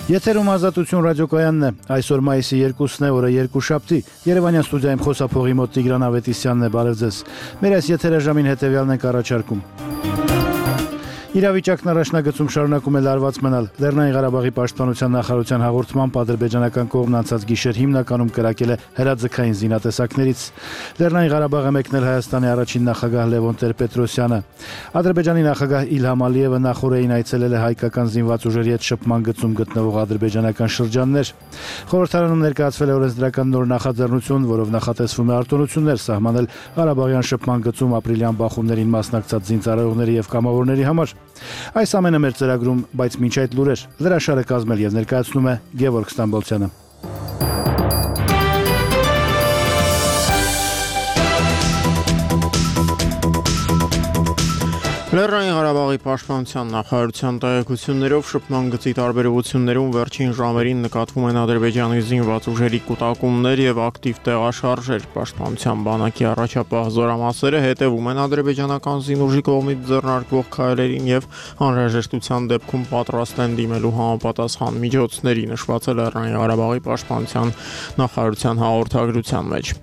Եթերում ազատություն ռադիոկայանն է, այսօր մայիսի 2-ն է, օրը երկուշաբթի, Երևանյան ստուդիայում խոսափողի մոտ Տիգրան Ավետիսյանն է, բարև ձեզ։ Մեր այս եթերաժամին հետևյալն ենք առաջարկում։ Իրավիճակն առաջնագծում շարունակում է լարված մնալ։ Լեռնային Ղարաբաղի պաշտպանության նախարարության հաղորդմամբ ադրբեջանական կողմն անցած գիշեր հիմնականում կրակել է հրաձգային զինատեսակներից։ Լեռնային Ղարաբաղը մեկնել Հայաստանի առաջին նախագահ Լևոն Տեր-Պետրոսյանը։ Ադրբեջանի նախագահ Իլհամ Ալիևը նախորդին այցելել է հայկական զինված ուժերի հետ շփման գծում գտնվող ադրբեջանական շրջաններ։ Խորհրդարանում ներկայացվել է օրենսդրական նոր նախաձեռնություն, որով նախատեսվում է արտոնություններ սահմանել Ղարաբաղյան շփման գծում ապրիլյան բախումներին մասնակցած զինծառայողների եւ կամավորների համար։ Այս ամենը մեր ծրագրում, բայց մինչ այդ լուրեր, լրաշարը կազմել եւ ներկայացնում է Գևորգ Ստամբոլցյանը։ Լեռնային Ղարաբաղի պաշտպանության նախարարության տեղեկություններով շփման գծի տարբերություններում վերջին ժամերին նկատվում են Ադրբեջանի զինված ուժերի կուտակումներ եւ ակտիվ տեղաշարժեր։ Պաշտպանության բանակի առաջապահ զորամասերը հետևում են ադրբեջանական զինուժի կողմից ձեռնարկվող քայլերին եւ անհրաժեշտության դեպքում պատրաստ են դիմելու համապատասխան միջոցների, նշված է Լեռնային Ղարաբաղի պաշտպանության նախարարության հաղորդագրության մեջ։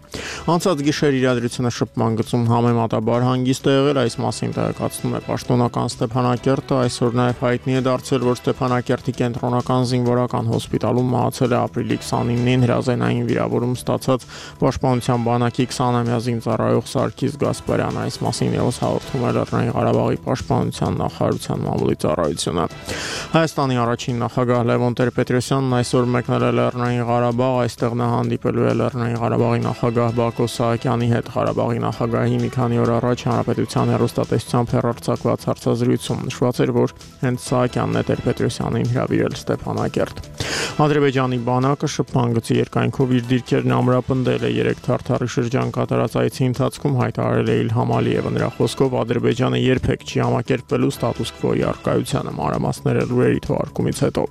Անցած գիշեր իրադրությունը շփման գծում համեմատաբար հանգիստ է եղել, այս մասին տեղեկացնում է պաշտոնական Ստեփանակերտը, այսօր նաև հայտնի է դարձել, որ Ստեփանակերտի կենտրոնական զինվորական հոսպիտալում մահացել է ապրիլի 29-ին հրազենային վիրավորում ստացած պաշտպանության բանակի 20-ամյա զինծառայող Սարգիս Գասպարյանը, այս մասին ևս հաղորդում է Լեռնային Ղարաբաղի պաշտպանության նախարարության մամուլի ծառայությունը։ Հայաստանի առաջին նախագահ Լևոն Տեր-Պետրոսյանն այսօր մեկնել է Լեռնային Ղարաբաղ, այստեղ նա հանդիպելու է Լեռնային Ղարաբաղի նախագահ Բակո Սահակյանի հետ։ Ղարաբաղի նախագահի մի քանի օր առաջ հանրապետության հեռուստատեսությամբ հեռարձակված հարցազրույցում նշված էր, որ հենց Սահակյանն է Տեր-Պետրոսյանին հրավիրել Ստեփանակերտ։ Ադրբեջանի բանակը շփման գծի երկայնքով իր դիրքերն ամրապնդել է 3 թարթարի շրջան կատարած այցի ընթացքում հայտարարել է Իլհամ Ալիևը։ Նրա խոսքով Ադրբեջանը երբեք չի համակերպվելու ստատուս քվոյի առկայությանը, մանրամասները լուրերի թողարկումից հետո։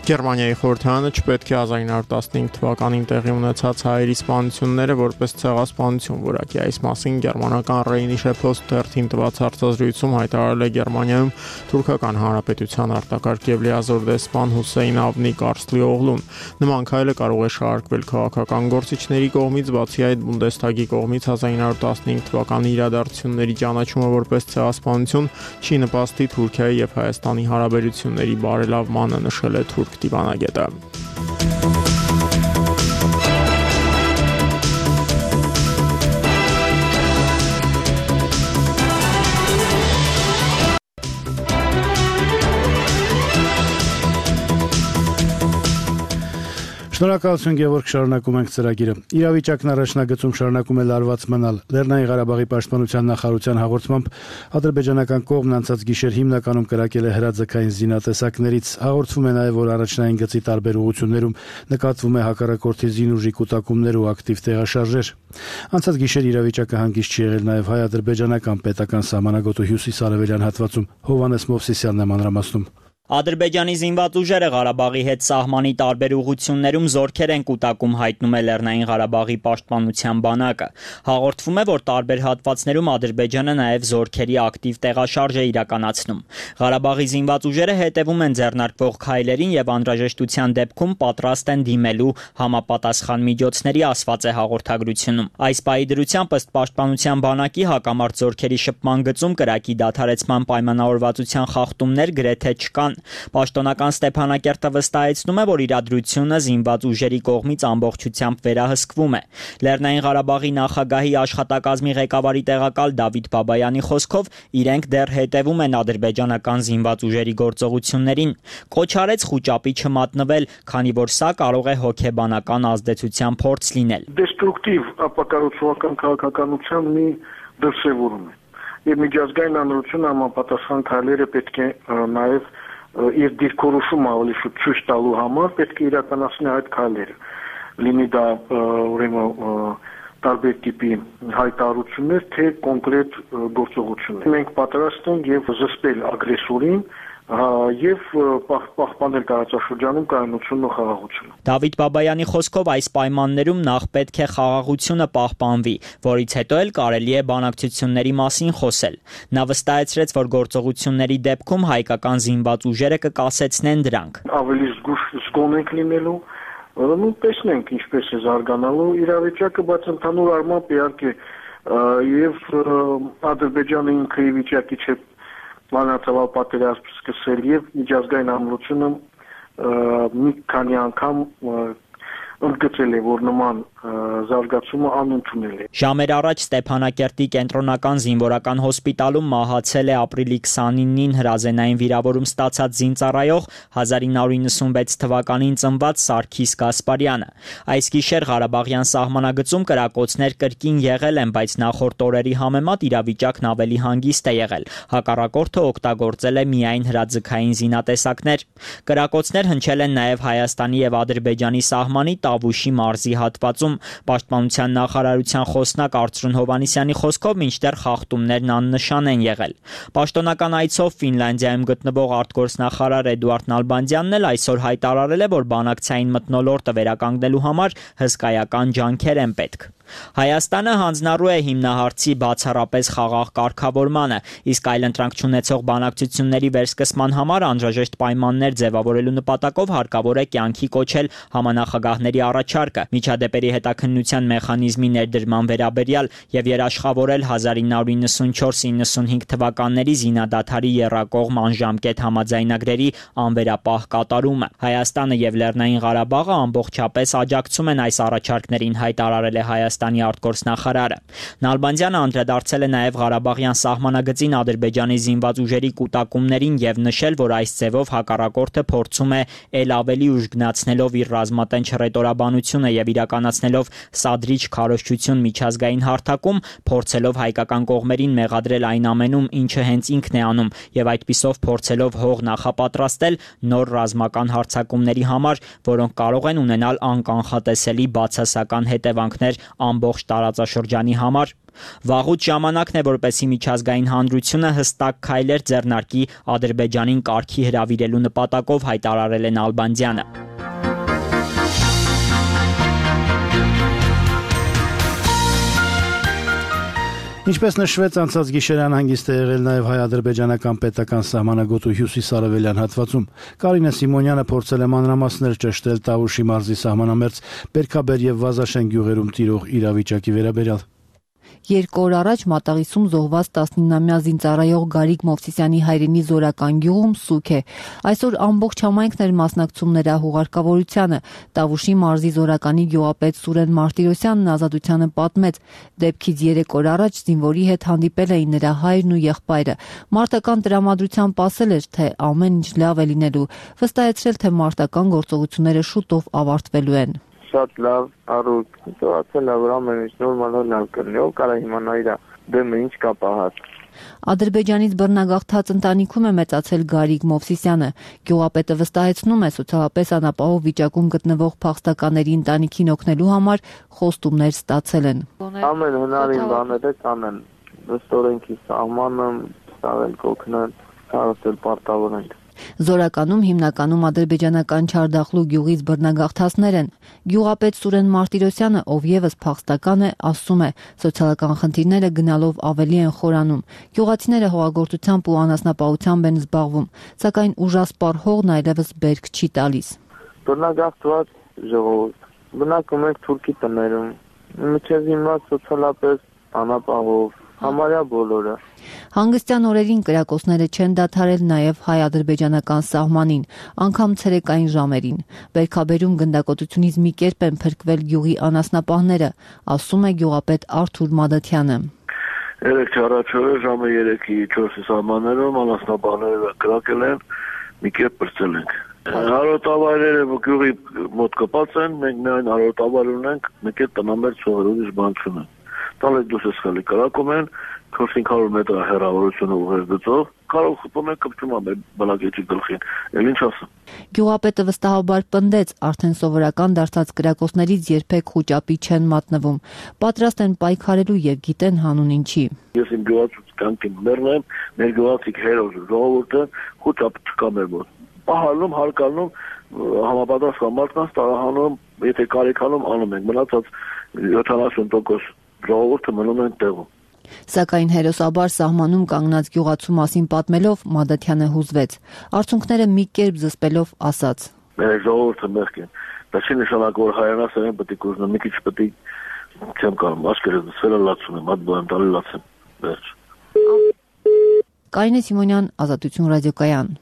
Գերմանիայի խորհրդարանը չպետք է 1915 թվականին տեղի ունեցած հայերի սպանությունները որպես ցեղասպանություն որակի։ Այս մասին գերմանական Rheinische Post թերթին տված հարցազրույցում հայտարարել է Գերմանիայում Թուրքական Հանրապետության արտակարգ եւ լիազոր դեսպան Հուսեյն Ավնի Կարսլիօղլուն։ Նման քայլը կարող է շարարկվել քաղաքական գործիչների կողմից, բացի այդ Բունդեսթագի կողմից 1915 թվականի իրադարձությունների ճանաչումը որպես ցեղասպանություն չի նպաստի Թուրքիայի եւ Հայաստանի հարաբերությունների բարելավմանը, նշել է թուրք դիվանագետը։ Շնորհակալություն Գևորգ, շարունակում ենք ծրագիրը։ Իրավիճակն առաջնագծում շարունակում է լարված մնալ։ Լեռնային Ղարաբաղի պաշտպանության նախարարության հաղորդմամբ ադրբեջանական կողմն անցած գիշեր հիմնականում կրակել է հրաձգային զինատեսակներից։ Հաղորդվում է նաև, որ առաջնային գծի տարբեր ուղություններում նկատվում է հակառակորդի զինուժի կուտակումներ ու ակտիվ տեղաշարժեր։ Անցած գիշեր իրավիճակը հանգիստ չի եղել նաև հայ-ադրբեջանական պետական սահմանագոտու հյուսիս-արևելյան հատվածում։ Հովհաննես Մովսիսյանն է մանրամասնում։ Ադրբեջանի զինված ուժերը Ղարաբաղի հետ սահմանի տարբեր ուղություններում զորքեր են կուտակում, հայտնում է Լեռնային Ղարաբաղի պաշտպանության բանակը։ Հաղորդվում է, որ տարբեր հատվածներում Ադրբեջանը նաև զորքերի ակտիվ տեղաշարժ է իրականացնում։ Ղարաբաղի զինված ուժերը հետևում են ձեռնարկվող քայլերին եւ անհրաժեշտության դեպքում պատրաստ են դիմելու համապատասխան միջոցների, ասված է հաղորդագրությունում։ Այս պահի դրությամբ ըստ պաշտպանության բանակի հակամարտ զորքերի շփման գծում կրակի դադարեցման պայմանավորվածության խախտումներ գրեթե չկան։ Պաշտոնական Ստեփանակերտը վստահեցնում է, որ իրադրությունը զինված ուժերի կողմից ամբողջությամբ վերահսկվում է։ Լեռնային Ղարաբաղի նախագահի աշխատակազմի ղեկավարի տեղակալ Դավիթ Բաբայանի խոսքով իրենք դեռ հետևում են ադրբեջանական զինված ուժերի գործողություններին։ Կոչ արեց խուճապի չմատնվել, քանի որ սա կարող է հոգեբանական ազդեցության փորձ լինել։ Դեստրուկտիվ ապակառուցողական քաղաքականության մի դրսևորում է։ Եվ միջազգային հանրությունը համապատասխան քայլերը պետք է նաև իր դիրքորոշումը ավելի շուտ ցույց տալու համար պետք է իրականացնի այդ քայլերը։ Լինի դա ուրեմն տարբեր տիպի հայտարարություններ, թե կոնկրետ գործողություններ։ Մենք պատրաստ ենք եւ զսպել ագրեսորին եւ պահպանել տարածաշրջանում կայունությունն ու խաղաղությունը։ Դավիթ Բաբայանի խոսքով այս պայմաններում նախ պետք է խաղաղությունը պահպանվի, որից հետո էլ կարելի է բանակցությունների մասին խոսել։ Նա վստահեցրեց, որ գործողությունների դեպքում հայկական զինված ուժերը կկասեցնեն դրանք։ Ավելի զգոն ենք լինելու, տեսնենք ինչպես է զարգանալու իրավիճակը, բայց ընդհանուր առմամբ իհարկե եւ Ադրբեջանը ինքը ի վիճակի չէ մանրածավալ պատերազմ սկսել եւ միջազգային ամրությունը մի քանի անգամ ընդգծել է, որ նման զարգացումը անընդունել է։ Ժամեր առաջ Ստեփանակերտի կենտրոնական զինվորական հոսպիտալում մահացել է ապրիլի 29-ին հրազենային վիրավորում ստացած զինծառայող 1996 թվականին ծնված Սարգիս Գասպարյանը։ Այս գիշեր Ղարաբաղյան սահմանագծում կրակոցներ կրկին եղել են, բայց նախորդ օրերի համեմատ իրավիճակն ավելի հանգիստ է եղել։ Հակառակորդը օգտագործել է միայն հրաձգային զինատեսակներ։ Կրակոցներ հնչել են նաև Հայաստանի եւ Ադրբեջանի սահմանի Տավուշի մարզի հատվածում։ Պաշտպանության նախարարության խոսնակ Արծրուն Հովհաննիսյանի խոսքով մինչդեռ խախտումներն աննշան են եղել։ Պաշտոնական այցով Ֆինլանդիայում գտնվող արտգործնախարար Էդուարդ Նալբանդյանն էլ այսօր հայտարարել է, որ բանակցային մթնոլորտը վերականգնելու համար հսկայական ջանքեր են պետք։ Հայաստանը հանձնառու է հիմնահարցի բացառապես խաղաղ կարգավորմանը, իսկ այլընտրանք չունեցող բանակցությունների վերսկսման համար անհրաժեշտ պայմաններ ձևավորելու նպատակով հարկավոր է կյանքի կոչել համանախագահների առաջարկը, միջադեպերի հետաքննության մեխանիզմի ներդրման վերաբերյալ եւ երաշխավորել 1994-95 թվականների զինադադարի եռակողմ անժամկետ համաձայնագրերի անվերապահ կատարումը։ Հայաստանը եւ Լեռնային Ղարաբաղը ամբողջապես աջակցում են այս առաջարկներին, հայտարարել է Հայաստանի արտգործնախարարը։ Նալբանդյանը անդրադարձել է նաև Ղարաբաղյան սահմանագծին Ադրբեջանի զինված ուժերի կուտակումներին եւ նշել, որ այս ձևով հակառակորդը փորձում է ել ավելի ուժգնացնելով իր ռազմատենչ հռետորաբանությունը եւ իրականացնելով սադրիչ քարոզչություն միջազգային հարթակում, փորձելով հայկական կողմերին մեղադրել այն ամենում, ինչը հենց ինքն է անում, եւ այդպիսով փորձելով հող նախապատրաստել նոր ռազմական հարձակումների համար, որոնք կարող են ունենալ անկանխատեսելի բացասական հետևանքներ ամբողջ տարածաշրջանի համար։ Վաղուց ժամանակն է, որպեսզի միջազգային հանրությունը հստակ քայլեր ձեռնարկի Ադրբեջանին կարգի հրավիրելու նպատակով, հայտարարել է Նալբանդյանը։ Ինչպես նշվեց, անցած գիշերյան հանգիստ է եղել նաև հայ-ադրբեջանական պետական սահմանագոտու հյուսիս-արևելյան հատվածում։ Կարինե Սիմոնյանը փորձել է մանրամասներ ճշտել Տավուշի մարզի սահմանամերձ Բերքաբեր եւ Վազաշեն գյուղերում տիրող իրավիճակի վերաբերյալ։ 2 օր առաջ Մատաղիսում զոհված 19-ամյա զինծառայող Գարիկ Մովսիսյանի հայրենի Զորական գյուղում սուք է։ Այսօր ամբողջ համայնքն էր մասնակցում նրա հուղարկավորությանը։ Տավուշի մարզի Զորականի գյուղապետ Սուրեն Մարտիրոսյանն Ազատությանը պատմեց, դեպքից 3 օր առաջ զինվորի հետ հանդիպել էին նրա հայրն ու եղբայրը։ Մարտական տրամադրությամբ ասել էր, թե ամեն ինչ լավ է լինելու, վստահեցրել, թե մարտական գործողությունները շուտով ավարտվելու են։ Շատ լավ առուտ, ասել է, որ ամեն ինչ նորմալ լավ կլինի, ով կարա իմանա իր դեմը ինչ կա պահած։ Ադրբեջանից բռնագաղթած ընտանիքում է մեծացել Գարիկ Մովսիսյանը։ Գյուղապետը վստահեցնում է, սոցիալապես անապահով վիճակում գտնվող փախստականների ընտանիքին օգնելու համար խոստումներ ստացել են։ Ամեն հնարին բաները կանեն, ըստ սահմանը, ցավել կօգնեն, ցավել պարտավոր են։ Զորականում հիմնականում ադրբեջանական Չարդախլու գյուղից բռնագաղթածներ են։ Գյուղապետ Սուրեն Մարտիրոսյանը, ով եւս փախստական է, ասում է, սոցիալական խնդիրները գնալով ավելի են խորանում։ Գյուղացիները հողագործությամբ ու անասնապահությամբ են զբաղվում, սակայն ուժասպառ հողն այլևս բերք չի տալիս։ Բռնագաղթված ժողովուրդ, բնակում ենք թուրքի տներում, միջև հիմնված սոցիալապես անապահով, համարյա բոլորը։ Հանգստյան օրերին կրակոցները չեն դադարել նաև հայ-ադրբեջանական սահմանին, անգամ ցերեկային ժամերին։ Բերքաբերում գնդակոծությունից մի կերպ են փրկվել գյուղի անասնապահները, ասում է գյուղապետ Արթուր Մադաթյանը։ 3 առաջորը ժամը 3-ի 4-ի սահմաններում անասնապահները կրակել են, մի կերպ պրծել ենք։ Հարոտավայրերը գյուղի մոտ կպած են, մենք միայն հարոտավայր ունենք, մեկ է տնամերձ ցողերով բան չունենք։ Տալը դուսս խալի կրակում են 400 մետր հեռավորությունը ուղեր գծով, կարող խփում են կպչում ամեն բնակիչի գլխին, էլ ինչ ասեմ։ Գյուղապետը վստահաբար պնդեց, արդեն սովորական դարձած կրակոցներից երբեք խուճապի չեն մատնվում, պատրաստ են պայքարելու եւ գիտեն հանուն ինչի։ Ես իմ գյուղացուց կանքին մեռնեմ, մեր գյուղացիք հերոս ժողովուրդը խուճապ չկա մեր մոտ։ Պահալում, հարկալնում, համապատասխան մարդկանց տարահանում, եթե կարիքանում անում ենք, մնացած 70% ժողովուրդը մնում են տեղում։ Սակայն հերոսաբար սահմանում կանգնած գյուղացու մասին պատմելով Մադաթյանը հուզվեց։ Արդյունքները մի կերպ զսպելով ասաց. մեր ժողովուրդը մեղք են։ Դա չի նշանակում, որ հայրենասերեն պետք է կուզնեմ, մի քիչ պետք է չեմ կարող, աշկերտս դսվելը լացում եմ, հատ բան տալի լացեմ, վերջ։ Կարինե Սիմոնյան, Ազատություն ռադիոկայան։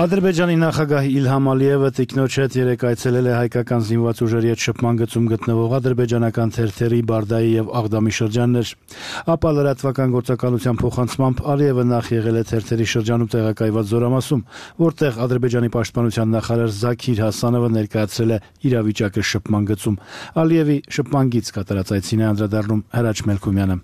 Ադրբեջանի նախագահ Իլհամ Ալիևը տիկնոջ հետ երեկ այցելել է հայկական զինված ուժերի հետ շփման գծում գտնվող ադրբեջանական թերթերի Բարդայի եւ Աղդամի շրջաններ։ Ապա լրատվական գործակալության փոխանցմամբ Ալիևը նախ եղել է թերթերի շրջանում տեղակայված Զորամասում, որտեղ Ադրբեջանի պաշտպանության նախարար Զաքիր Հասանովը ներկայացրել է իրավիճակը շփման գծում։ Ալիևի շփման գիծ կատարած այցին է անդրադառնում Հրաչ Մելքումյանը։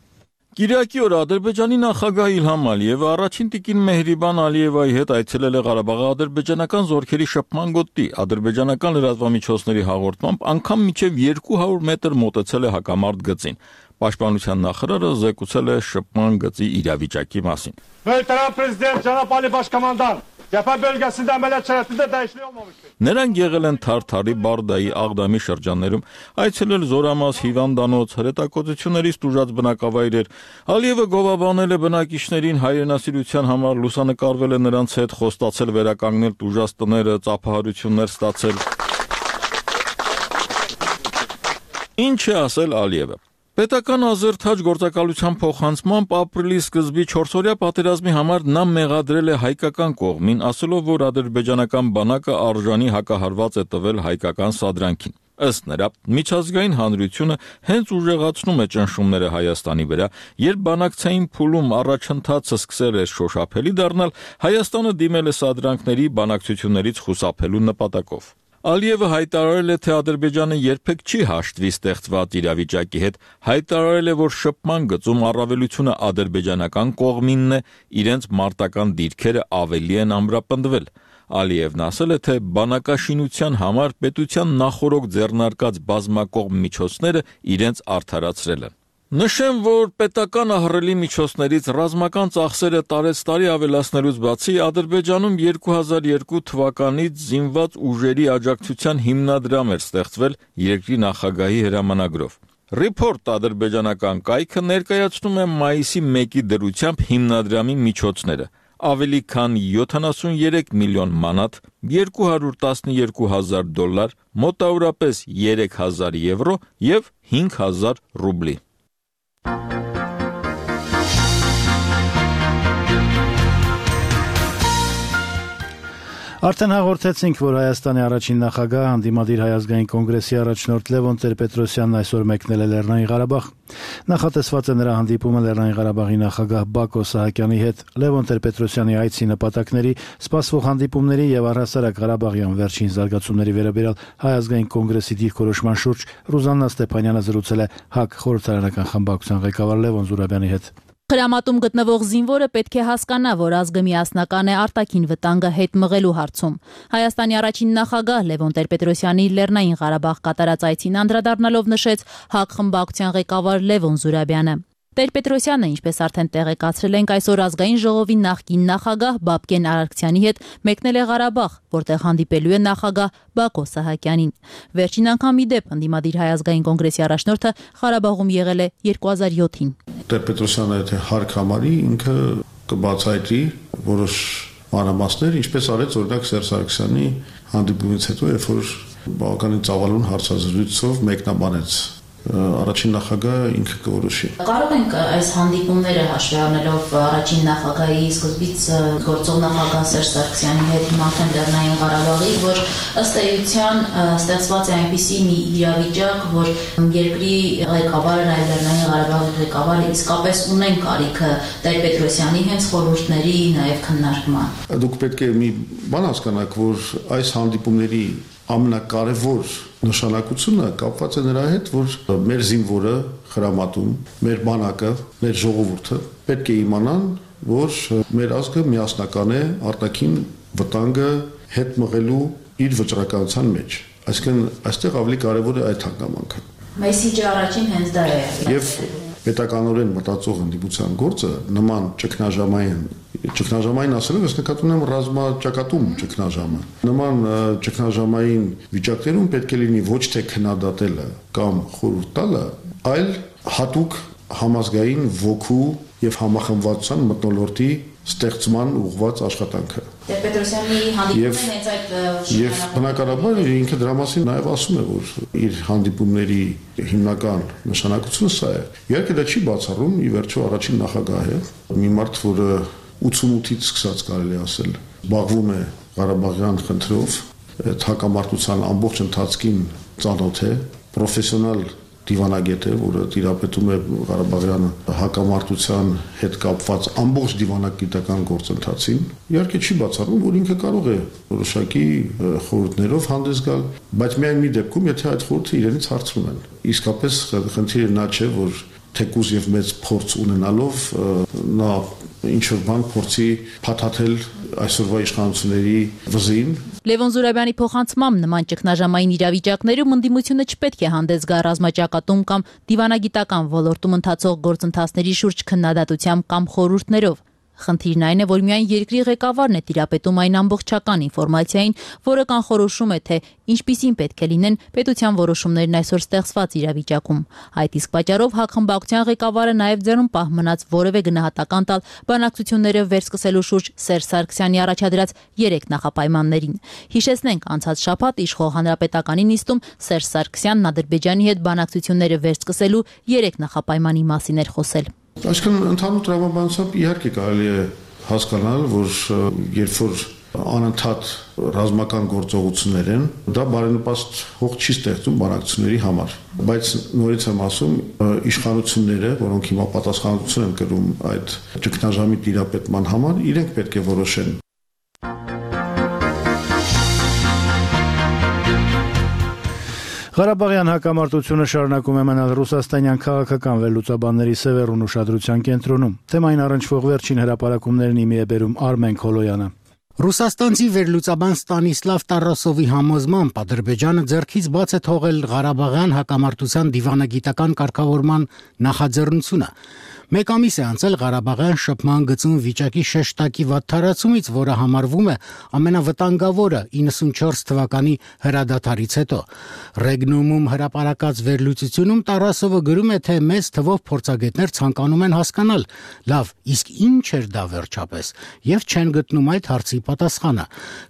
Կիրակի օրը Ադրբեջանի նախագահ Իլհամ Ալիևը առաջին տիկին Մեհրիբան Ալիևայի հետ այցելել է Ղարաբաղի ադրբեջանական զորքերի շփման գոտի։ Ադրբեջանական լրատվամիջոցների հաղորդմամբ անգամ մինչև 200 մետր մոտեցել է հակամարտ գծին։ Պաշտպանության նախարարը զեկուցել է շփման գծի իրավիճակի մասին։ Veteran prezident Cenab Ali Başkomandan cephe bölgesinde ameliyat şeritinde değişiklik olmamıştır. Նրանք եղել են Թարթարի, Բարդայի, Աղդամի շրջաններում, այցելել Զորամաս, հիվանդանոց, հրետակոծություններից տուժած բնակավայրեր։ Ալիևը գովաբանել է բնակիչներին հայրենասիրության համար, լուսանկարվել է նրանց հետ, խոստացել վերականգնել տուժած տները, ծափահարություններ ստացել։ Ինչ է ասել Ալիևը։ Պետական ազերթաջ գործակալության փոխանցմամբ ապրիլի սկզբի 4-օրյա պատերազմի համար նա մեղադրել է հայկական կողմին, ասելով, որ ադրբեջանական բանակը արժանի հակահարված է տվել հայկական սադրանքին։ Ըստ նրա, միջազգային հանրությունը հենց ուժեղացնում է ճնշումները Հայաստանի վրա, երբ բանակցային փուլում առաջընթացը սկսել է շոշափելի դառնալ, Հայաստանը դիմել է սադրանքների բանակցություններից խուսափելու նպատակով։ Ալիևը հայտարարել է, թե Ադրբեջանը երբեք չի հաշտվի ստեղծված իրավիճակի հետ, հայտարարել է, որ շփման գծում առավելությունը ադրբեջանական կողմինն է, իրենց մարտական դիրքերը ավելի են ամրապնդվել։ Ալիևն ասել է, թե բանակաշինության համար պետության նախօրոք ձեռնարկած բազմակողմ միջոցները իրենց արդարացրել են։ Նշեմ, որ պետական ահռելի միջոցներից ռազմական ծախսերը տարեցտարի ավելացնելուց բացի Ադրբեջանում 2002 թվականից զինված ուժերի աջակցության հիմնադրամ էր ստեղծվել երկրի նախագահի հրամանագրով։ Report ադրբեջանական կայքը ներկայացնում է մայիսի 1-ի դրությամբ հիմնադրամի միջոցները։ Ավելի քան 73 միլիոն մանատ, $212,000, մոտավորապես 3000 եվրո եւ 5000 ռուբլի։ Արդեն հաղորդեցինք, որ Հայաստանի առաջին նախագահ Հանդիմադիր Հայ ազգային կոնգրեսի առաջնորդ Լևոն Տեր-Պետրոսյանն այսօր մեկնել է Լեռնային Ղարաբաղ։ Նախատեսված է նրա հանդիպումը Լեռնային Ղարաբաղի նախագահ Բակո Սահակյանի հետ։ Լևոն Տեր-Պետրոսյանի այցի նպատակների, սպասվող հանդիպումների եւ առհասարակ Ղարաբաղյան վերջին զարգացումների վերաբերյալ Հայ ազգային կոնգրեսի դիրքորոշման շուրջ Ռուզաննա Ստեփանյանը զրուցել է ՀԱԿ խորհրդարանական խմբակցության ղեկավար Լևոն Զուրաբյանի հետ։ Խրամատում գտնվող զինվորը պետք է հասկանա, որ ազգը միասնական է արտաքին վտանգը հետ մղելու հարցում։ Հայաստանի առաջին նախագահ Լևոն Տեր-Պետրոսյանի Լեռնային Ղարաբաղ կատարած այցին անդրադառնալով նշեց ՀԱԿ խմբակցության ղեկավար Լևոն Զուրաբյանը։ Տեր-Պետրոսյանը, ինչպես արդեն տեղեկացրել ենք, այսօր ազգային ժողովի նախկին նախագահ Բաբկեն Արարքցյանի հետ մեկնել է Ղարաբաղ, որտեղ հանդիպելու է նախագահ Բակո Սահակյանին։ Վերջին անգամ ի դեպ Հանդիմադիր Հայ ազգային կոնգրեսի առաջնորդը Ղարաբաղում եղել է 2007-ին։ Տեր-Պետրոսյանը եթե հարկ համարի, ինքը կբացատրի որոշ մանրամասներ, ինչպես արեց օրինակ Սերժ Սարգսյանի հանդիպումից հետո, երբ որ բավականին ծավալուն հարցազրույցով մեկնաբանեց առաջին նախագահը ինքը կորոշի։ Կարող ենք այս հանդիպումները հաշվի առնելով առաջին նախագահի սկզբից գործող նախագահ Սերժ Սարգսյանի հետ հիմա արդեն Լեռնային Ղարաբաղի, որ ըստ էության ստեղծված է այնպիսի մի իրավիճակ, որ երկրի ղեկավարը, նաև Լեռնային Ղարաբաղի ղեկավարը իսկապես ունեն կարիքը Տեր-Պետրոսյանի հենց խորհուրդների, նաև քննարկման։ Դուք պետք է մի բան հասկանաք, որ այս հանդիպումների ամենակարևոր նշանակությունը կապված է նրա հետ, որ մեր զինվորը խրամատում, մեր բանակը, մեր ժողովուրդը պետք է իմանան, որ մեր ազգը միասնական է արտաքին վտանգը հետ մղելու իր վճռականության մեջ։ Այսինքն այստեղ ավելի կարևոր է այդ հանգամանքը։ Մեսիջը առաջին հենց դա է։ Եվ պետականորեն մտածող ընդդիմության գործը նման ճգնաժամային ասելով, ես նկատում եմ ռազմաճակատում ճգնաժամը։ Նման ճգնաժամային վիճակներում պետք է լինի ոչ թե քննադատելը կամ խորհուրդ տալը, այլ հատուկ համազգային ոգու եւ համախմբվածության մթնոլորտի ստեղծման ուղղված աշխատանքը։ Տեր-Պետրոսյանի հանդիպումն հենց այդ եւ բնականաբար ինքը դրա մասին նաեւ ասում է, որ իր հանդիպումների հիմնական նշանակությունը սա է։ Իհարկե դա չի բացառում ի վերջո առաջին նախագահը, մի մարդ, որը 88-ից սկսած կարելի ասել, զբաղվում է Ղարաբաղյան խնդրով, այդ հակամարտության ամբողջ ընթացքին ծանոթ է, պրոֆեսիոնալ դիվանագետ է, որը տիրապետում է Ղարաբաղյան հակամարտության հետ կապված ամբողջ դիվանագիտական գործընթացին։ Իհարկե չի բացառում, որ ինքը կարող է որոշակի խորհուրդներով հանդես գալ, բայց միայն մի դեպքում, եթե այդ խորհուրդը իրենից հարցնում են։ Իսկապես խնդիրը նա չէ, որ թեկուզ եւ մեծ փորձ ունենալով նա ինչ-որ բան փորձի փաթաթել այսօրվա իշխանությունների վզին։ Լևոն Զուրաբյանի փոխանցմամբ նման ճգնաժամային իրավիճակներում ընդդիմությունը չպետք է հանդես գա ռազմաճակատում կամ դիվանագիտական ոլորտում ընթացող գործընթացների շուրջ քննադատությամբ կամ խորհուրդներով։ Խնդիրն այն է, որ միայն երկրի ղեկավարն է տիրապետում այն ամբողջական ինֆորմացիային, որը կանխորոշում է, թե ինչպիսին պետք է լինեն պետության որոշումներն այսօր ստեղծված իրավիճակում։ Այդ իսկ պատճառով հակխմբակցության ղեկավարը նաև ձեռնպահ մնաց որևէ գնահատական տալ բանակցությունները վերսկսելու շուրջ Սերժ Սարգսյանի առաջադրած 3 նախապայմաններին։ Հիշեցնենք, անցած շաբաթ իշխող հանրապետականի նիստում Սերժ Սարգսյանն Ադրբեջանի հետ բանակցությունները վերսկսելու 3 նախապայմանի մասին էր խոսել։ Այսինքն ընդհանուր տրամաբանությամբ իհարկե կարելի է հասկանալ, որ երբ որ անընդհատ ռազմական գործողություններ են, դա բարենպաստ հող չի ստեղծում բանակցությունների համար։ Բայց նորից եմ ասում, իշխանությունները, որոնք հիմա պատասխանատվություն են կրում այդ ճգնաժամի տիրապետման համար, իրենք պետք է որոշեն։ Ղարաբաղյան հակամարտությունը շարունակում է մնալ ռուսաստանյան քաղաքական վերլուծաբանների սևեռուն ուշադրության կենտրոնում։ Թեմային առնչվող վերջին հրապարակումներն իմի է բերում Արմեն Քոլոյանը։ Ռուսաստանցի վերլուծաբան Ստանիսլավ Տարասովի համոզմամբ Ադրբեջանը ձեռքից բաց է թողել Ղարաբաղյան հակամարտության դիվանագիտական կարգավորման նախաձեռնությունը։ Մեկ ամիս է անցել Ղարաբաղյան շփման գծում վիճակի շեշտակի վատթարացումից, որը համարվում է ամենավտանգավորը 94 թվականի հրադադարից հետո։ Ռեգնումում հրապարակած վերլուծությունում Տարասովը գրում է, թե մեծ թվով փորձագետներ ցանկանում են հասկանալ, լավ, իսկ ինչ էր դա վերջապես, եւ չեն գտնում այդ հարցի պատասխանը։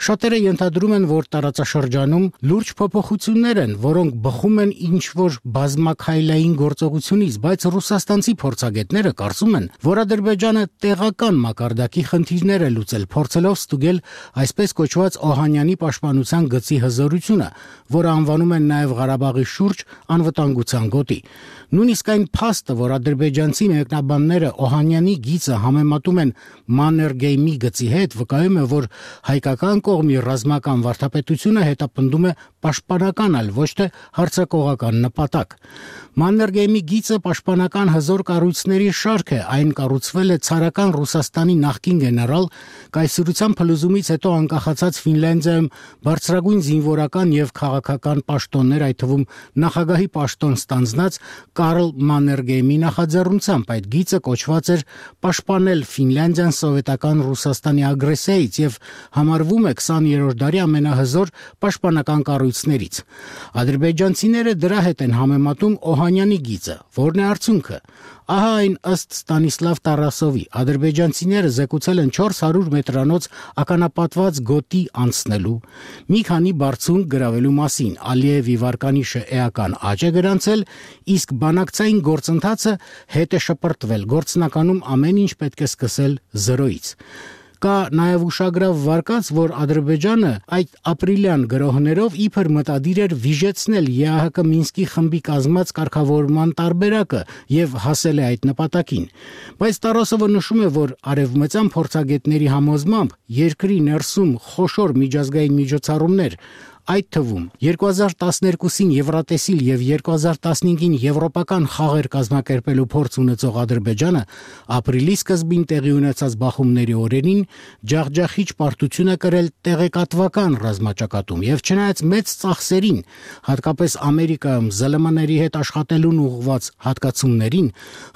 Շատերը ենթադրում են, որ տարածաշրջանում լուրջ փոփոխություններ են, որոնք բխում են ինչ-որ բազմաքայլային գործողությունից, բայց ռուսաստանցի փորձագետները կարծում են, որ Ադրբեջանը տեղական մակարդակի խնդիրներ է լուծել, փորձելով ստուգել այսպես կոչված Օհանյանի պաշտպանության գծի հզորությունը, որը անվանում են նաև Ղարաբաղի շուրջ անվտանգության գոտի։ Նույնիսկ այն փաստը, որ ադրբեջանցի մեկնաբանները Օհանյանի գիծը համեմատում են Մաններգեյմի գծի հետ, վկայում է, որ հայկական կողմի ռազմական վարդապետությունը հետապնդում է պաշտպանական, այլ ոչ թե հարձակողական նպատակ։ Մաններգեյմի գիծը պաշտպանական հզոր կառույցների շարք է, այն կառուցվել է ցարական Ռուսաստանի նախկին գեներալ կայսրության փլուզումից հետո անկախացած Ֆինլանդիայում բարձրագույն զինվորական եւ քաղաքական պաշտոններ, այդ թվում նախագահի պաշտոն ստանձնած Կարլ Մաններգեյմի նախաձեռնությամբ այդ գիծը կոչված էր պաշտպանել Ֆինլանդիան սովետական Ռուսաստանի ագրեսիայից եւ համարվում է 20-րդ դարի ամենահզոր պաշտպանական կառույցներից։ Ադրբեջանցիները դրա հետ են համեմատում Օհանյանի գիծը, որն է արդյունքը։ Ահա այն ըստ Ստանիսլավ Տարասովի, ադրբեջանցիները զեկուցել են 400 մետրանոց ականապատված գոտի անցնելու, մի քանի բարձունք գրավելու մասին, Ալիևի վարկանիշը էական աճ է գրանցել, իսկ բանակցային գործընթացը հետ է շպրտվել, գործնականում ամեն ինչ պետք է սկսել 0-ից։ Կա նաև ուշագրավ վարկած, որ Ադրբեջանը այդ ապրիլյան գրոհներով իբր մտադիր էր վիժեցնել ԵԱՀԿ Մինսկի խմբի կազմած կարգավորման տարբերակը եւ հասել է այդ նպատակին։ Բայց Տարասովը նշում է, որ արևմտյան փորձագետների համոզմամբ երկրի ներսում խոշոր միջազգային միջոցառումներ, այդ թվում 2012-ին Եվրատեսիլ եւ 2015-ին եվրոպական խաղեր կազմակերպելու փորձ ունեցող Ադրբեջանը ապրիլի սկզբին տեղի ունեցած բախումների օրերին ջախջախիչ պարտություն է կրել տեղեկատվական ռազմաճակատում եւ չնայած մեծ ծախսերին, հատկապես Ամերիկայում ԶԼՄ-ների հետ աշխատելուն ուղղված հատկացումներին,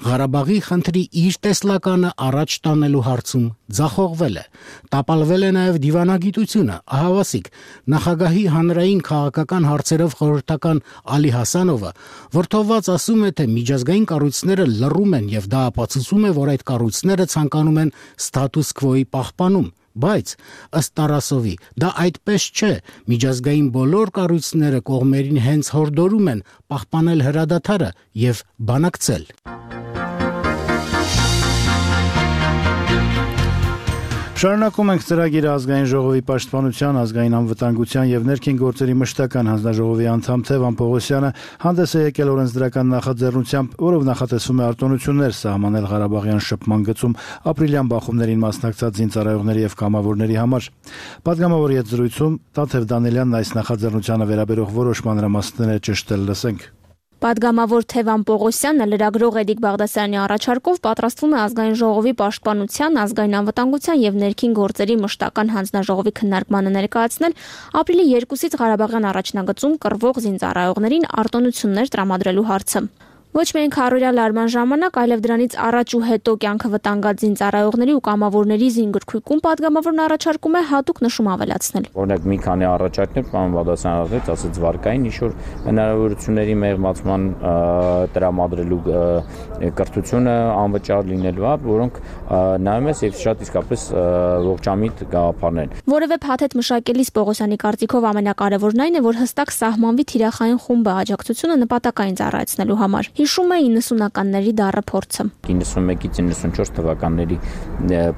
Ղարաբաղի խնդրի իր տեսլականը առաջ տանելու հարցում ձախողվել է։ Տապալվել է նաեւ դիվանագիտությունը, ահավասիկ նախագահի հանրային քաղաքական հարցերով խորհրդական Ալի Հասանովը որդովված ասում է, թե միջազգային կառույցները լռում են եւ դա ապացուցում է, որ այդ կառույցները ցանկանում են ստատուս քվոյի պահպանում, բայց ըստ Տարասովի դա այդպես չէ, միջազգային բոլոր կառույցները կողմերին հենց հորդորում են պահպանել հրադադարը եւ բանակցել։ Շարունակում ենք ծրագիրը ազգային ժողովի պաշտպանության, ազգային անվտանգության եւ ներքին գործերի մշտական հանձնաժողովի անդամ Թևան Պողոսյանը հանդես է եկել օրենսդրական նախաձեռնությամբ, որով նախատեսվում է արտոնություններ սահմանել Ղարաբաղյան շփման գծում ապրիլյան բախումներին մասնակցած զինծառայողների եւ կամավորների համար։ Պատգամավորի հետ զրույցում Տաթև Դանիելյանն այս նախաձեռնությանը վերաբերող որոշ մանրամասները ճշտել լսենք։ Պատգամավոր Թևան Պողոսյանը լրագրող Էդիկ Բաղդասարյանի առաջարկով պատրաստվում է ազգային ժողովի պաշտպանության, ազգային անվտանգության եւ ներքին գործերի մշտական հանձնաժողովի քննարկմանը ներկայացնել ապրիլի 2-ից Ղարաբաղյան առաջնագծում կռվող զինծառայողներին արտոնություններ տրամադրելու հարցը։ Ոչ միայն քարորյա լարման ժամանակ, այլև դրանից առաջ ու հետո կյանքը վտանգած զինծառայողների ու կամավորների զինգրքույկում պատգամավորն առաջարկում է հատուկ նշում ավելացնել։ Օրինակ մի քանի առաջարկներ պարոն Բաղդասարյանը ասաց վարկային ինչ-որ հնարավորությունների մեղմացման տրամադրելու կրթությունը անվճար լինելու է, որոնք նայում ես եւ շատ իսկապես ողջամիտ գաղափարներ։ Որևէ փաթեթ մշակելիս Պողոսյանի կարծիքով ամենակարևորն այն է, որ հստակ սահմանվի թիրախային խումբը աջակցությունը նպատակային ծառայեցնելու համար։ Հիշում է 90-ականների դառը փորձը։ 91-ից 94 թվականների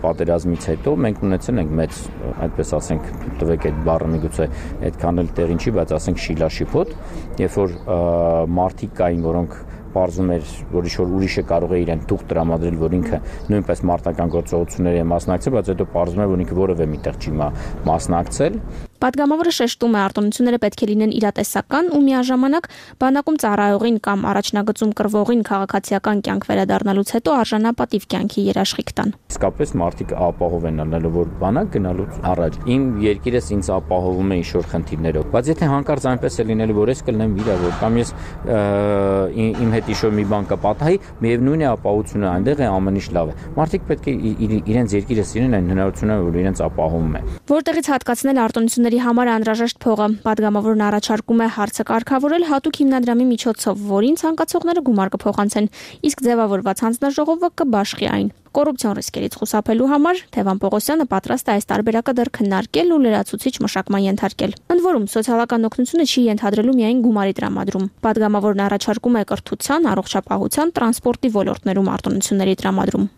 պատերազմից հետո մենք ունեցել ենք մեծ, այդպես ասենք, տվեք այդ բառը միգուցե այդքան էլ տեղին չի, բայց ասենք շիլաշիփոտ, երբ որ մարդիկ կային, որոնք պարզում էր, որ ինչ-որ ուրիշը կարող է իրեն թուղթ տրամադրել, որ ինքը նույնպես մարտական գործողությունների է մասնակցել, բայց հետո պարզում է, որ ինքը որևէ միտեղ չի մասնակցել։ Պատգամավորը շեշտում է, արտոնությունները պետք է լինեն իրատեսական ու միաժամանակ բանակում ծառայողին կամ առաջնագծում կռվողին քաղաքացիական կյանք վերադառնալուց հետո արժանապատիվ կյանքի երաշխիք տան։ Իսկապես մարդիկ ապահով են ալնելու, որ բանակ գնալուց առաջ իմ երկիրս ինձ ապահովում է ինչ-որ խնդիրներով, բայց եթե հանկարծ այնպես է լինելու, որ ես կլինեմ վիրավոր կամ ես իմ հետ ինչ-որ մի բան կպատահի, միևնույն է ապահովությունը այնտեղ է, ամեն ինչ լավ է։ Մարդիկ պետք է իրենց երկիրը սիրեն այն հնարավորությունը, որ իրենց ապահովում է։ Որտեղից հատկացնել արտոնությունների համար անհրաժեշտ փողը, պատգամավորն առաջարկում է հարցը կարգավորել հատուկ հիմնադրամի միջոցով, որին ցանկացողները գումար կփոխանցեն, իսկ ձևավորված հանձնաժողովը կբաշխի այն։ Կոռուպցիոն ռիսկերից խուսափելու համար Թևան Պողոսյանը պատրաստ է այս տարբերակը դեռ քննարկել ու լրացուցիչ մշակման ենթարկել։ Ընդ որում, սոցիալական օգնությունը չի ենթադրելու միայն գումարի տրամադրում։ Պատգամավորն առաջարկում է կրթության, առողջապահության, տրանսպորտի ոլորտներում արտոնությունների տրամադրում։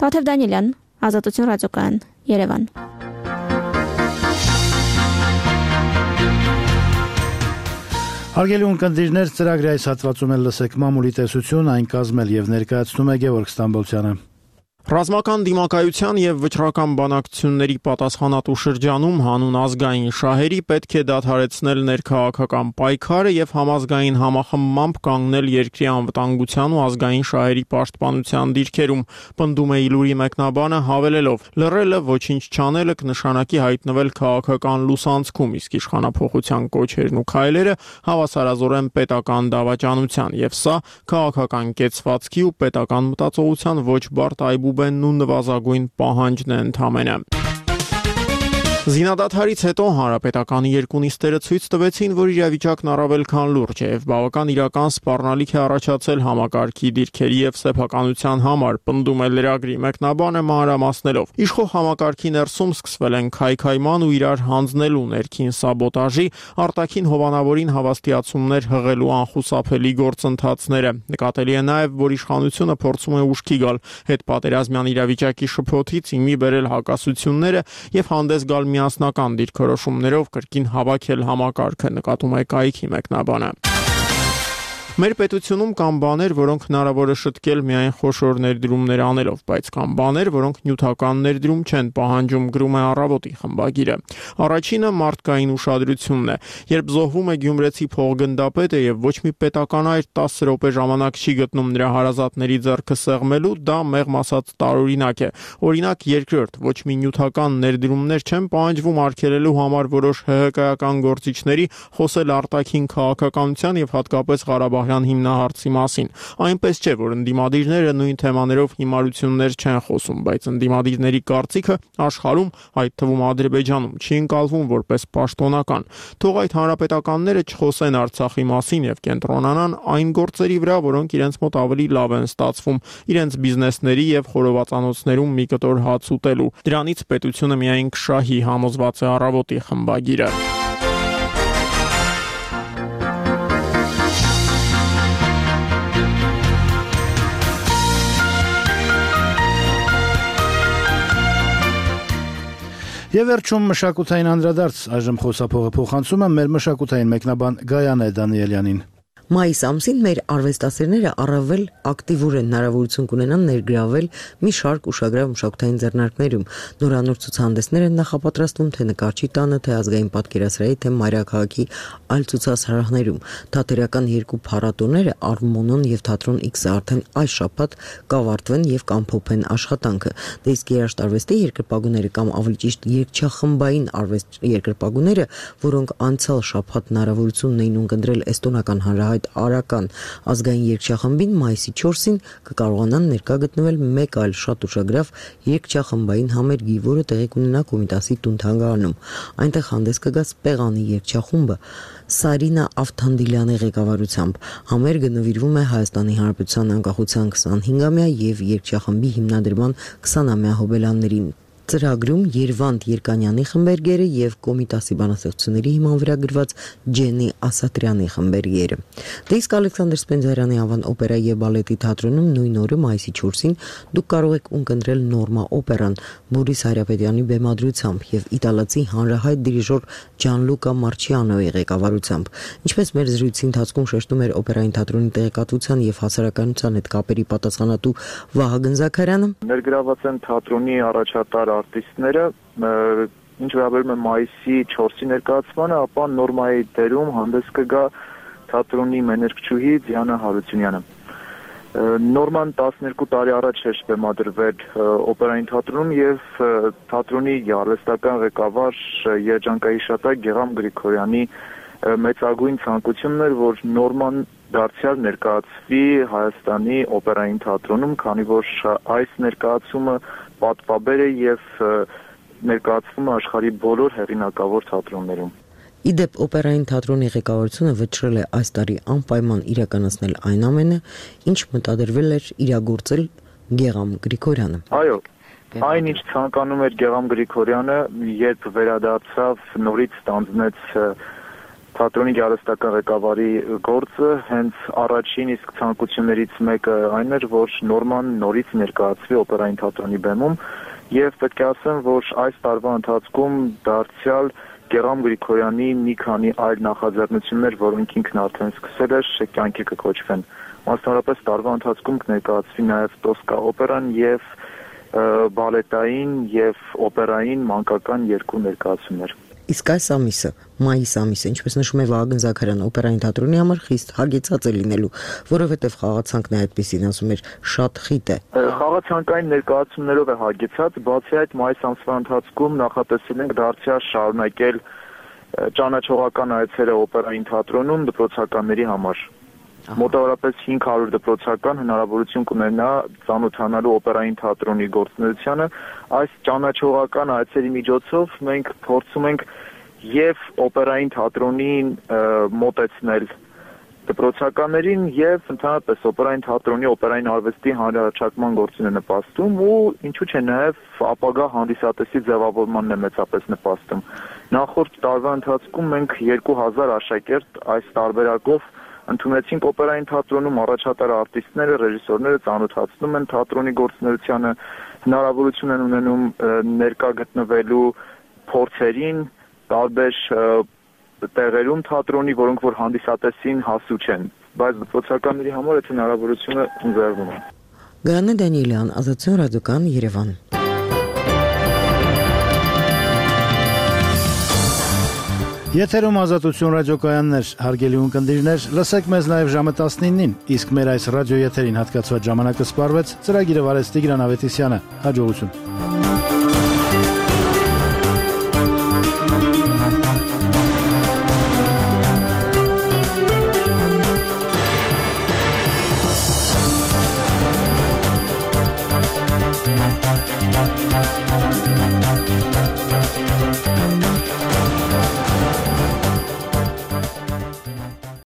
Տաթև Դանիելյան, Ազատություն ռադիոկայան, Երևան։ Հարգելի ունկնդիրներ, ծրագրի այս հատվածում էլ լսեք մամուլի տեսություն, այն կազմել եւ ներկայացնում է Գևորգ Ստամբոլցյանը։ Ռազմական դիմակայության եւ վճռական բանակցությունների պատասխանատու շրջանում հանուն ազգային շահերի պետք է դադարեցնել ներքաղաքական պայքարը եւ համազգային համախմբմամբ կանգնել երկրի անվտանգության ու ազգային շահերի պաշտպանության դիրքերում, պնդում է Իլուրի մեկնաբանը հավելելով. լռելը ոչինչ չանելը կնշանակի հայտնվել քաղաքական լուսանցքում, իսկ իշխանափոխության կոչերն ու քայլերը հավասարազորեն պետական դավաճանության եւ սա քաղաքական կեցվածքի ու պետական մտածողության ոչ բարդ այբու ու նվազագույն պահանջն է ընդամենը։ Զինադադարից հետո հանրապետականի երկու նիստերը ցույց տվեցին, որ իրավիճակն առավել քան լուրջ է եւ բավական իրական սպառնալիք է առաջացել համակարգի դիրքերի եւ սեփականության համար, պնդում է լրագրի մեկնաբանը մանրամասնելով։ Իշխող համակարգի ներսում սկսվել են քայքայման ու իրար հանձնելու ներքին սաբոտաժի, արտաքին հովանավորին հավաստիացումներ հղելու անխուսափելի գործընթացները։ Նկատելի է նաեւ, որ իշխանությունը փորձում է ուշքի գալ հետպատերազմյան իրավիճակի շփոթից իմի բերել հակասությունները եւ հանդես գալ միասնական դիրքորոշումներով կրկին հավաքել համակարգը, նկատում է կայքի մեկնաբանը։ Մեր պետությունում կան բաներ, որոնք հնարավոր է շտկել միայն խոշոր ներդրումներ անելով, բայց կան բաներ, որոնք նյութական ներդրում չեն պահանջում, գրում է Առավոտի խմբագիրը։ Առաջինը մարդկային ուշադրությունն է։ Երբ զոհվում է գյումրեցի փողգնդապետը եւ ոչ մի պետական այր 10 րոպե ժամանակ չի գտնում նրա հարազատների ձեռքը սեղմելու, դա մեղմ ասած տարօրինակ է։ Օրինակ երկրորդ, ոչ մի նյութական ներդրումներ չեն պահանջվում արգելելու համար որոշ ՀՀԿ-ական գործիչների խոսել արտաքին քաղաքականության եւ հատկապես Ղարաբաղի Ղարաբաղյան հիմնահարցի մասին։ Այնպես չէ, որ ընդդիմադիրները նույն թեմաներով հիմարություններ չեն խոսում, բայց ընդդիմադիրների կարծիքը աշխարհում, այդ թվում Ադրբեջանում, չի ընկալվում որպես պաշտոնական։ Թող այդ հանրապետականները չխոսեն Արցախի մասին եւ կենտրոնանան այն գործերի վրա, որոնք իրենց մոտ ավելի լավ են ստացվում, իրենց բիզնեսների եւ խորովածանոցներում մի կտոր հաց ուտելու։ Դրանից պետությունը միայն կշահի, համոզված է Առավոտի խմբագիրը։ Եվ վերջում մշակութային անդրադարձ, այժմ խոսափողը փոխանցում է մեր մշակութային մեկնաբան Գայանե Դանիելյանին։ Մայիս ամսին մեր արվեստասերները առավել ակտիվորեն հնարավորություն կունենան ներգրավել մի շարք ուշագրավ մշակութային ձեռնարկներում։ Նորանոր ցուցահանդեսներ են նախապատրաստվում թե նկարչի տանը, թե ազգային պատկերասրահի, թե մայրաքաղաքի այլ ցուցասրահներում։ Թատերական երկու փառատոները Արմոնոն եւ Թատրոն X-ը արդեն այս շաբաթ կավարտվեն եւ կամփոփեն աշխատանքը։ Դե իսկ երաժշտարվեստի երկրպագուները կամ ավելի ճիշտ երգչախմբային արվեստ երկրպագուները, որոնք անցյալ շաբաթ հնարավորություն ունեին ունկնդրել էստոնական հանրահայտ Արական ազգային երգչախմբին մայիսի 4-ին կկարողանան ներկա գտնվել մեկ այլ շատ ուշագրավ երգչախմբային համերգի, որը տեղի կունենա Կոմիտասի տուն-թանգարանում։ Այնտեղ հանդես կգա Սպեղանի երգչախումբը Սարինա Ավթանդիլյանի ղեկավարությամբ։ Համերգը նվիրվում է Հայաստանի Հանրապետության անկախության 25-ամյա եւ երգչախմբի հիմնադրման 20-ամյա հոբելյաններին։ Ծրագրում Երվանդ Երկանյանի խմբերգերը եւ Կոմիտասի բանաստեղծությունների հիման վրա գրված Ջենի Ասատրյանի խմբերգերը։ Դե իսկ Ալեքսանդր Սպենդիարյանի անվան օպերայի եւ բալետի թատրոնում նույն օրը մայիսի 4-ին դուք կարող եք ունկնդրել Նորմա օպերան Բորիս Հարապետյանի բեմադրությամբ եւ իտալացի հանրահայտ դիրիժոր Ջանլուկա Մարչիանոյի ղեկավարությամբ։ Ինչպես մեր զրույցի ընթացքում շեշտում էր օպերային թատրոնի տեղեկատվության եւ հասարակայնության հետ կապերի պատասխանատու Վահագն Զաքարյանը, ներգրաված են թատրոնի առաջատար արտիստները, ինչ վերաբերում է մայիսի 4-ի ներկայացմանը, ապա Նորմայի դերում հանդես կգա թատրոնի մեներկչուհի Դիանա Հարությունյանը։ Նորման 12 տարի առաջ էր բեմադրվել օպերային թատրոնում եւ թատրոնի արվեստական ղեկավար երջանկահիշատակ Գեղամ Գրիգորյանի մեծագույն ցանկությունն էր, որ Նորման դարձյալ ներկայացվի Հայաստանի օպերային թատրոնում, քանի որ այս ներկայացումը պատվաբեր է եւ ներկայացվում է աշխարհի բոլոր հեղինակավոր թատրոններում։ Իդեպ օպերային թատրոնի ղեկավարությունը վճռել է այս տարի անպայման իրականացնել այն ամենը, ինչ մտադրվել էր իրագործել Գեղամ Գրիգորյանը։ Այո, այն ինչ ցանկանում էր Գեղամ Գրիգորյանը, երբ վերադարձավ, նորից ստանձնեց թատրոնի գեղարվեստական ղեկավարի գործը, հենց առաջին իսկ ցանկություններից մեկը այն էր, որ Նորման նորից ներկայացվի օպերային թատրոնի բեմում, եւ պետք է ասեմ, որ այս տարվա ընթացքում դարձյալ Գեղամ Գրիգորյանի մի քանի այլ նախաձեռնություններ, որոնք ինքն արդեն սկսել էր, կյանքի կկոչվեն։ Մասնավորապես տարվա ընթացքում կներկայացվի նաև Տոսկա օպերան եւ բալետային եւ օպերային մանկական երկու ներկայացումներ։ Իսկ այս ամիսը, մայիս ամիսը, ինչպես նշում է Վահագն Զաքարյանը, օպերային թատրոնի համար խիստ հագեցած է լինելու, որովհետև խաղացանկն է այդպեսին, ասում էր, շատ խիտ է։ Խաղացանկային ներկայացումներով է հագեցած, բացի այդ մայիս ամսվա ընթացքում նախատեսել ենք դարձյալ շարունակել ճանաչողական այցերը օպերային թատրոնում դպրոցականների համար։ Մոտավորապես 500 դպրոցական հնարավորություն կունենա ծանոթանալու օպերային թատրոնի գործունեությանը։ Այս ճանաչողական այցերի միջոցով մենք փորձում ենք եւ օպերային թատրոնին մոտեցնել դպրոցականներին եւ ընդհանրապես օպերային թատրոնի օպերային արվեստի հանրահռչակման գործին է նպաստում ու ինչու՞ չէ նաեւ ապագա հանդիսատեսի ձևավորմանն է մեծապես նպաստում։ Նախորդ տարվա ընթացքում մենք 2000 աշակերտ այս տարբերակով ընդունեցինք օպերային թատրոնում, առաջատար արտիստները, ռեժիսորները ծանոթացնում են թատրոնի գործունեությանը, հնարավորություն են ունենում ներկա գտնվելու փորձերին, տարբեր տեղերում թատրոնի, որոնք որ հանդիսատեսին հասու չեն, բայց դպրոցականների համար այդ հնարավորությունը ընձեռվում է։ Գայանե Դանիելյան, Ազատություն ռադիոկան, Երևան։ Եթերում Ազատություն ռադիոկայաններ, հարգելի ունկնդիրներ, լսեք մեզ նաև ժամը 19-ին, իսկ մեր այս ռադիոեթերին հատկացված ժամանակը սպառվեց, ծրագիրը վարեց Տիգրան Ավետիսյանը, հաջողություն։